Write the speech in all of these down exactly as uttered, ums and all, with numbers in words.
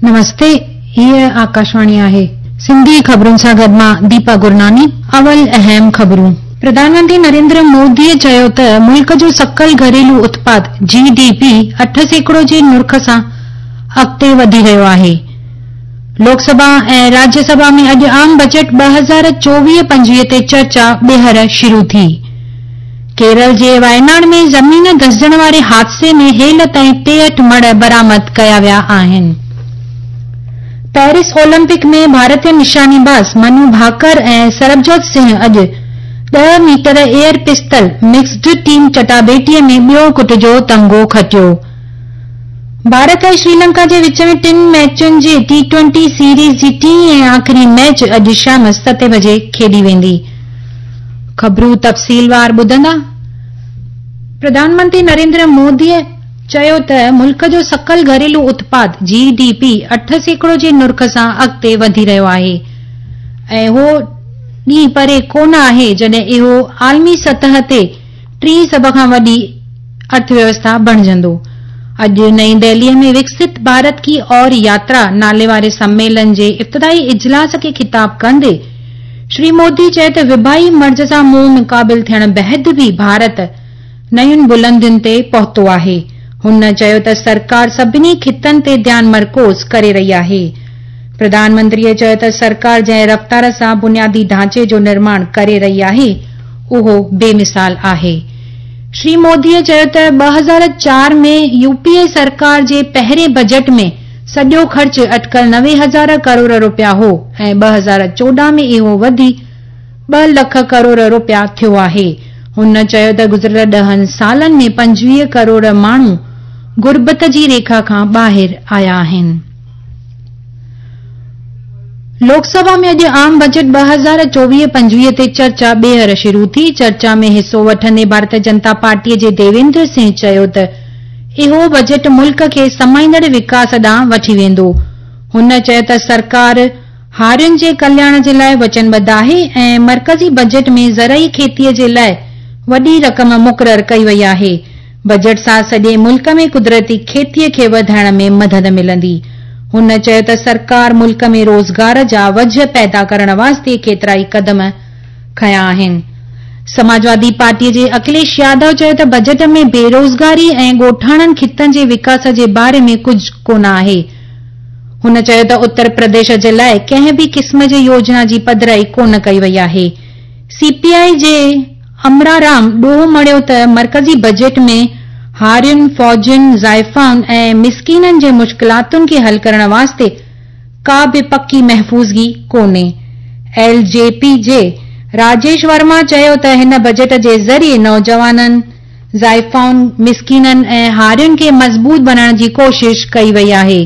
نمستي، هيء آڪاشواڻي آهي. سنڌي خبرن سان گڏ مان ديپا گرناني. اول اهم خبرون. پرڌان منتري نريندر موديء چيو ته ملڪ جو سڪل گهريلو اتپاد، جي ڊي پي، اٺ سيڪڙو جي نرخ سان اڳتي وڌي رهيو آهي. لوڪ سڀا ۽ راجيه سڀا ۾ اڄ عام بجيٽ ٻه هزار چوويهه پنجويهه تي چرچا ٻيهر شروع ٿي. ڪيرل جي وايناڙ ۾ زمين ڌسجڻ واري حادثي ۾ هيل تائين ٽيهٺ مڙهه برآمد ڪيا ويا آهن. پيرس اولمپڪ ۾ ڀارتي نشاني باز منو ڀاڪر ۽ سربجوت سنگهه اڄ ڏهه ميٽر ايئر پستل مڪسڊ ٽيم چٽاڀيٽي ۾ ٻيو کٽ جو تمغو کٽيو. ڀارت ۽ شريلنڪا جي وچ ۾ ٽن ميچن جي ٽي ٽوئنٽي سيريز جي ٽين ۽ آخري ميچ اڄ شام ستين بجي کيڏي ويندي. خبرون تفصيلوار ٻڌندا. پرڌان منتري نريندر موديء چيو ته ملڪ جو سڪل گهريلو اتپاد، جي ڊي پي، اٺ سيڪڙو جي نرخ سان اڳتي وڌي رهيو آهي ۽ اهو ڏينهن پري ڪونه آهي جڏهن اهو عالمي سطح تي ٽين سڀ کان وڏي ارٿويوسٿا بڻجندو. اڄ نئين دهليء ۾ وڪست ڀارت ڪي اور ياترا نالي واري سميلن جي افتتاحي اجلاس کي خطاب ڪندي شري مودي چيو ته وبائي مرض سان منهن مقابل ٿيڻ بعد به ڀارت نين بلندين تي پهتو آهي. هن چيو ته سرڪار سڀني خطن تي ڌيان مرڪوز ڪري رهي آهي. پرڌان منتريء چيو ته سرڪار جنهن رفتار سان بنيادي ڍانچي جو نرماڻ ڪري رهي آهي، اهو بي مثال آهي. شري موديء چيو ته ٻه هزار چار ۾ يو پي اي سرڪار جي پهرين بجيٽ ۾ سڄو خرچ اٽڪل نوي هزار ڪروڙ رپيا هو ۽ ٻه هزار چوڏهن ۾ اهو وڌي ٻه لک ڪروڙ رپيا ٿيو آهي. هن چيو ته گذريل ڏهن سالن ۾ پنجويهه ڪروڙ ماڻهو غربت جي ريکا کان ٻاهر آيا آهن. لوڪ سڀا ۾ اڄ عام بجيٽ ٻه هزار چوويهه پنجويهه تي چرچا ٻيهر شروع ٿي. چرچا ۾ حصو وٺندي ڀارتيه جنتا پارٽيء جي ديويندر سنگهه چيو ته اهو بجيٽ ملڪ کي سمائيندڙ وڪاس ڏانهن وٺي ويندو. هن چيو ته سرڪار هارين جي ڪلياڻ جي لاء وچنبڌ آهي ۽ مرڪزي بجيٽ ۾ زرعي کيتيء جي لاء وڏي رقم مقرر ڪئي وئي آهي. بجيٽ سان سڄي ملڪ ۾ قدرتي کيتيء کي وڌائڻ ۾ مدد ملندي. هن چيو ته سرڪار ملڪ ۾ روزگار جا وجهه پيدا ڪرڻ واسطي ڪيترائي قدم کنيا آهن. سماجوادي پارٽيء جي اکليش يادو چيو ته بجيٽ ۾ بيروزگاري ۽ ڳوٺاڻن خطن جي وڪاس جي باري ۾ ڪجهه ڪونه آهي. هن چيو ته اتر پرديش جي لاء ڪنهن به قسم جي يوجنا جي پڌرائي ڪونه ڪئي وئي آهي. سي پي آء جي امرا رام ڏوهه مڙهيو ته مرڪزي بجيٽ ۾ هارين، فوجين، زائفائن ۽ مسڪينن جي مشڪلاتن کي حل ڪرڻ واسطي ڪا به پڪي محفوظگي ڪونهي. ايل جي پي جي راجيش ورما چيو ته هن بجيٽ جي ذريعي نوجوانن، زائفائن، مسڪينن ۽ هارين کي مضبوط بڻائڻ جي ڪوشش ڪئي وئي آهي.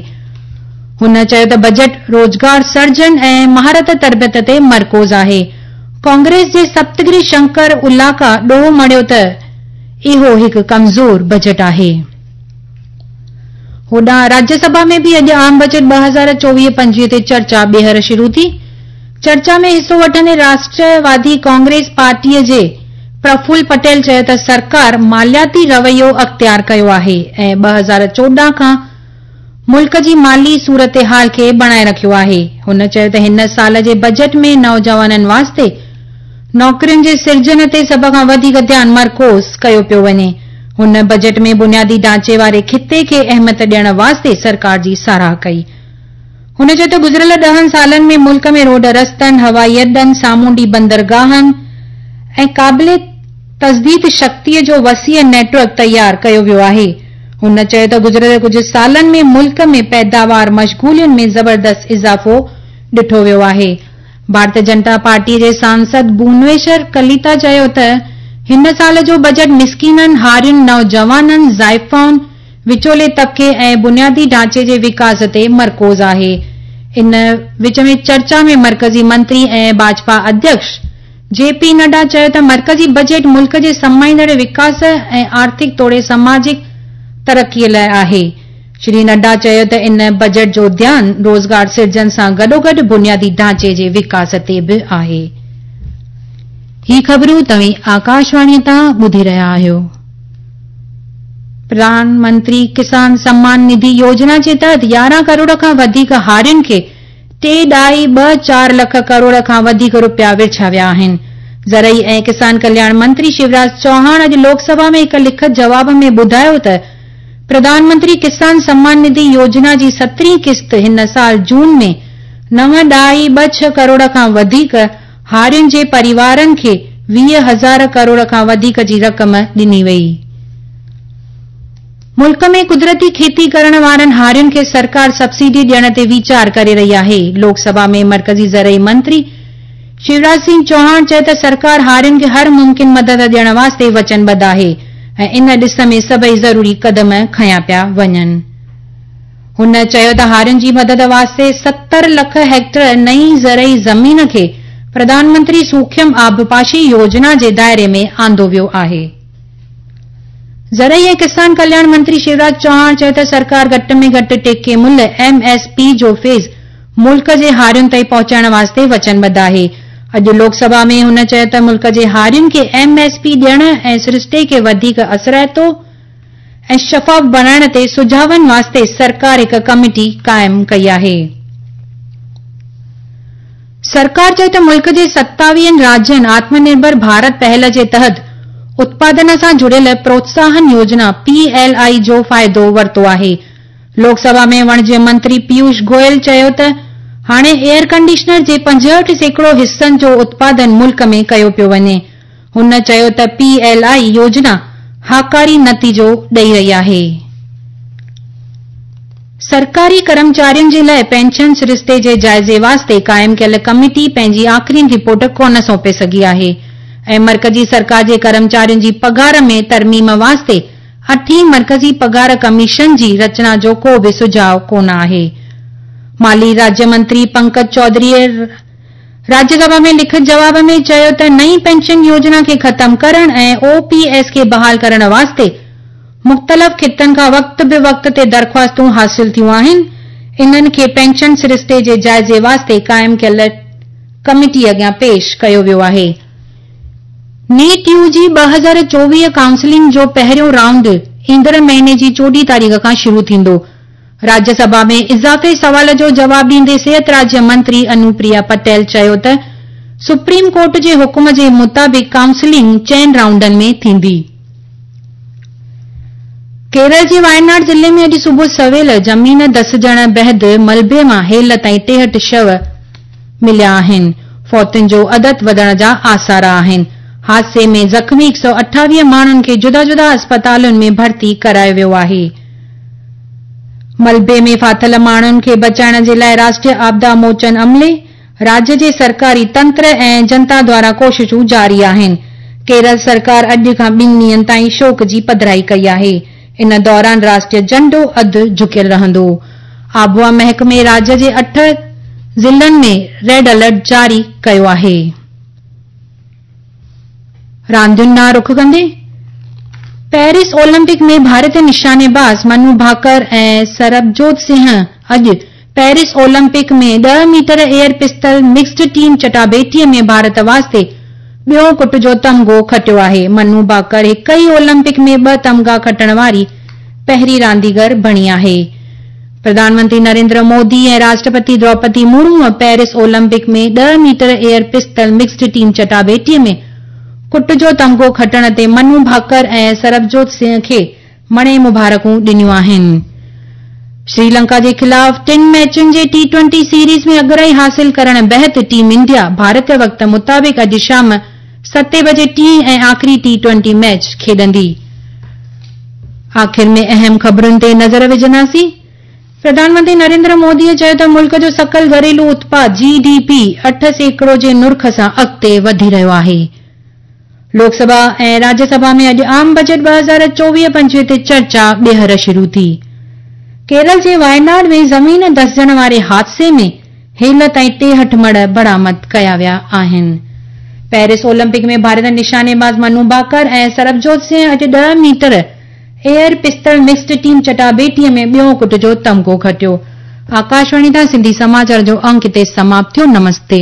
هن چيو ته بجيٽ روزگار سرجن ۽ مهارت تربيت تي مرڪوز آهي. ڪانگريس جي سپتگري شنڪر الاڪا ڏوهه مڙهيو ته اهو هڪ ڪمزور بجيٽ آهي. هوڏانهن راجيه سڀا ۾ به اڄ عام بجيٽ ٻه هزار چوويهه پنجويهه تي چرچا ٻيهر شروع ٿي. چرچا ۾ حصو وٺندي راشٽروادي ڪانگريس پارٽيء جي پرفل پٽيل چيو ته سرڪار مالياتي رويو اختيار ڪيو آهي ۽ ٻه هزار چوڏهن کان ملڪ جي مالي صورتحال کي بڻائي رکيو آهي. هن چيو ته هن سال جي بجيٽ ۾ نوجوانن واسطي نوڪرين جي سرجن تي سڀ کان وڌيڪ ڌيان مرڪوز ڪيو پيو وڃي. هن بجيٽ ۾ بنيادي ڍانچي واري خطي کي اهميت ڏيڻ واسطي سرڪار جي ساراهه ڪئي. هن چيو ته گذريل ڏهن سالن ۾ ملڪ ۾ روڊ رستن، هوائي اڏن، سامونڊي بندرگاهن ۽ قابل تجديد شڪتيء جو وسيع نيٽ ورڪ تيار ڪيو ويو آهي. هن چيو ته گذريل ڪجهه سالن ۾ ملڪ ۾ پيداوار مشغولين ۾ زبردست اضافو ڏٺو ويو آهي. ڀارتيه جنتا پارٽيء جي سانسد ڀونيشور ڪليتا چيو ته هن سال جو بجيٽ مسڪينن، هارين، نوجوانن، زائفائن، وچولي طبقي ۽ بنيادي ڍانچي جي وڪاس تي مرڪوز آهي. ان وچ ۾ چرچا ۾ مرڪزي منتري ۽ ڀاجپا اڌيڪش جي پي نڊا چيو ته مرڪزي بجيٽ ملڪ جي سمائيندڙ وڪاس ۽ آرٿڪ توڙي سماجڪ ترقيء لاء آهي. شري نڊا چيو ته ان بجيٽ جو ڌيان روزگار سرجن سان گڏوگڏ بنيادي ڍانچي جي وڪاس تي به آهي. هي خبرون توهين آڪاشواڻيء تان ٻڌي رهيا آهيو. پرڌان منتري ڪسان سمان نڌي يوجنا جي تحت يارهن ڪروڙ کان وڌيڪ هارين کي ٽي ڏهائي ٻه چار لک ڪروڙ کان وڌيڪ رپيا ورڇيا ويا آهن. زرعي ۽ ڪسان ڪلياڻ منتري شيوراج چوهاڻ اڄ لوڪ سڀا ۾ هڪ لکت جواب ۾ ٻڌايو ته پرڌان منتري ڪسان سمان نڌي يوجنا جي سترهين قسط هن سال جون ۾ نو ڏهائي ٻه ڇهه ڪروڙ کان وڌيڪ هارين جي پريوارن کي ويهه هزار ڪروڙ کان وڌيڪ جي رقم ڏني وئي. ملڪ ۾ قدرتي کيتي ڪرڻ وارن هارين کي سرڪار سبسڊي ڏيڻ تي ويچار ڪري رهي آهي. لوڪ سڀا ۾ مرڪزي زرعي منتري شيوراج سنگهه چوهاڻ چيو ته سرڪار هارين کي هر ممڪن مدد ڏيڻ واسطي وچنبڌ آهي ۽ ان ڏس ۾ سڀئي ضروري قدم کنيا پيا وڃن. هن چيو ته هارين جي مدد واسطي ستر لک هيڪٽر نئين زرعي زمين کي پرڌان منتري سوکيم آبپاشي يوجنا جي دائري ۾ آندو ويو آهي. زرعي ۽ ڪسان ڪلياڻ منتري شيوراج چوهاڻ چيو ته سرڪار گهٽ ۾ گهٽ ٽيڪي ملهه ايم ايس پي جو فيض ملڪ جي هارين تائين پهچائڻ واسطي وچنبڌ آهي. اڄ لوڪ سڀا ۾ هن چيو ته ملڪ جي هارين کي ايم ايس پي ڏيڻ ۽ سرشتي کي وڌيڪ اثرائتو ۽ شفاف بڻائڻ تي سجهاون واسطي سرڪار هڪ ڪميٽي قائم ڪئي آهي. سرڪار چيو ته ملڪ جي ستاويهن راجين آتم نرڀر ڀارت پهل جي تحت اتپادن سان جڙيل پروتساهن يوجنا پي ايل I جو فائدو ورتو آهي. لوڪ سڀا ۾ وڻج منتري پيوش گويل چيو ته هاڻي ايئر ڪنڊيشنر جي پنجهٺ سيڪڙو حصن جو اتپادن ملڪ ۾ ڪيو پيو وڃي. هن چيو ته پي ايل I يوجنا هاڪاري نتيجو ڏئي رهي آهي. سرڪاري ڪرمچارين جي لاءِ پينشن سرشتي جي جائزي واسطي قائم ڪيل ڪميٽي پنهنجي آخري رپورٽ ڪونه سونپي سگهي آهي ۽ مرڪزي سرڪار جي ڪرمچارين جي پگهار ۾ ترميم واسطي اٺين مرڪزي پگهار ڪميشن جي رچنا جو ڪو به سجهاءُ ڪونه آهي. مالي راجيه منتري پنڪج چوڌري راجيه سڀا ۾ لکت جواب ۾ چيو ته نئين پينشن يوجنا کي ختم ڪرڻ ۽ او پي ايس کي بحال ڪرڻ واسطي مختلف خطن کان وقت به وقت تي درخواستون حاصل ٿيون آهن. انهن کي پينشن سرشتي جي جائزي واسطي قائم ڪيل ڪميٽي اڳيان پيش ڪيو ويو آهي. نيٽ يو جي ٻه هزار چوويهه ڪائونسلنگ جو پهريون رائونڊ ايندڙ مهيني جي چوڏهين تاريخ کان شروع ٿيندو. راجيه سڀا ۾ اضافي سوال جو جواب ڏيندي صحت راجيه منتري انوپريا پٽيل چيو ته سپريم ڪورٽ جي حڪم جي مطابق ڪائونسلنگ چئن رائونڊن ۾ ٿيندي. ڪيرل جي وايناڊ ضلعي ۾ اڄ صبح سويل زمين دسجڻ بعد ملبي مان هيل تائين ٽيهٺ شو مليا آهن. فوتين جو عدد وڌڻ جا آثار آهن. حادثي ۾ زخمي هڪ سؤ اٺاويهه ماڻهن کي جدا جدا اسپتالن ۾ ڀرتي ڪرايو ويو آهي. ملبي ۾ ڦاٿل ماڻهن کي بچائڻ جي لاءِ راشٽريه آپدا موچن عملي، راجيه جي سرڪاري تنتر ۽ جنتا دوارا ڪوششون جاري آهن. ڪيرل سرڪار اڄ کان ٻن ڏينهن تائين شوڪ جي پڌرائي ڪئي آهي. ان دوران راشٽريه جهنڊو اڌ جهڪيل رهندو. آبهوا محڪمي راجيه جي اٺ ضلعن ۾ ريڊ الرٽ جاري ڪيو آهي. راندين ڏانهن رخ ڪندي پيرس اولمپڪ ۾ ڀارتي نشانيباز منو ڀاڪر ۽ سربجوت سنگهه اڄ پيرس اولمپڪ ۾ ڏهه metre air pistol mixed team چٽاڀيٽي ۾ ڀارت واسطي ٻيو ڪٽ جو تمغو کٽيو آهي. منو ڀاڪر هڪ ئي اولمپڪ ۾ ٻه تمغا کٽڻ واري پهرين رانديگر بڻي آهي. پرڌان منتري نريندر مودي ۽ راشٽرپتي دروپدي مرمو پيرس اولمپڪ ۾ ڏهه metre air pistol mixed team چٽاڀيٽي ۾ ڪٽ جو تمغو کٽڻ تي منو ڀاڪر ۽ سربجوت سنگهه کي مڻي مبارڪون ڏنيون آهن. شري لنڪا جي خلاف ٽن ميچن جي ٽي ٽوئنٽي سيريز ۾ اڳرائي حاصل ڪرڻ بعد ٽيم انڊيا ڀارتي وقت مطابق اڄ شام ستين بجي ٽئين ۽ آخري ٽي ٽوئنٽي ميچ کيڏندي. آخر ۾ اهم خبرن تي نظر وجهنداسين. پرڌان منتري نريندر مودي چيو ته ملڪ جو سڪل گهريلو اتپاد جي ڊي پي اٺ سيڪڙو جي نرخ سان اڳتي وڌي رهيو آهي. لوڪ سڀا ۽ راجيه سڀا ۾ اڄ عام بجيٽ ٻه هزار چوويهه پنجويهه تي چرچا ٻيهر شروع ٿي. ڪيرل جي وايناڊ ۾ زمين دسجڻ واري حادثي ۾ هيل تائين ٽيهٺ مڙهه برآمد ڪيا ويا آهن. پيرس اولمپڪ ۾ ڀارتي نشانيباز منو ڀاڪر ۽ سربجوت سنگهه اڄ ڏهه metre air pistol mixed team چٽاڀيٽي ۾ ٻيو ڪٽ جو تمغو کٽيو. آڪاشواڻي تان سنڌي سماچار جو انڪ هتي سماپت ٿيو. نمستي.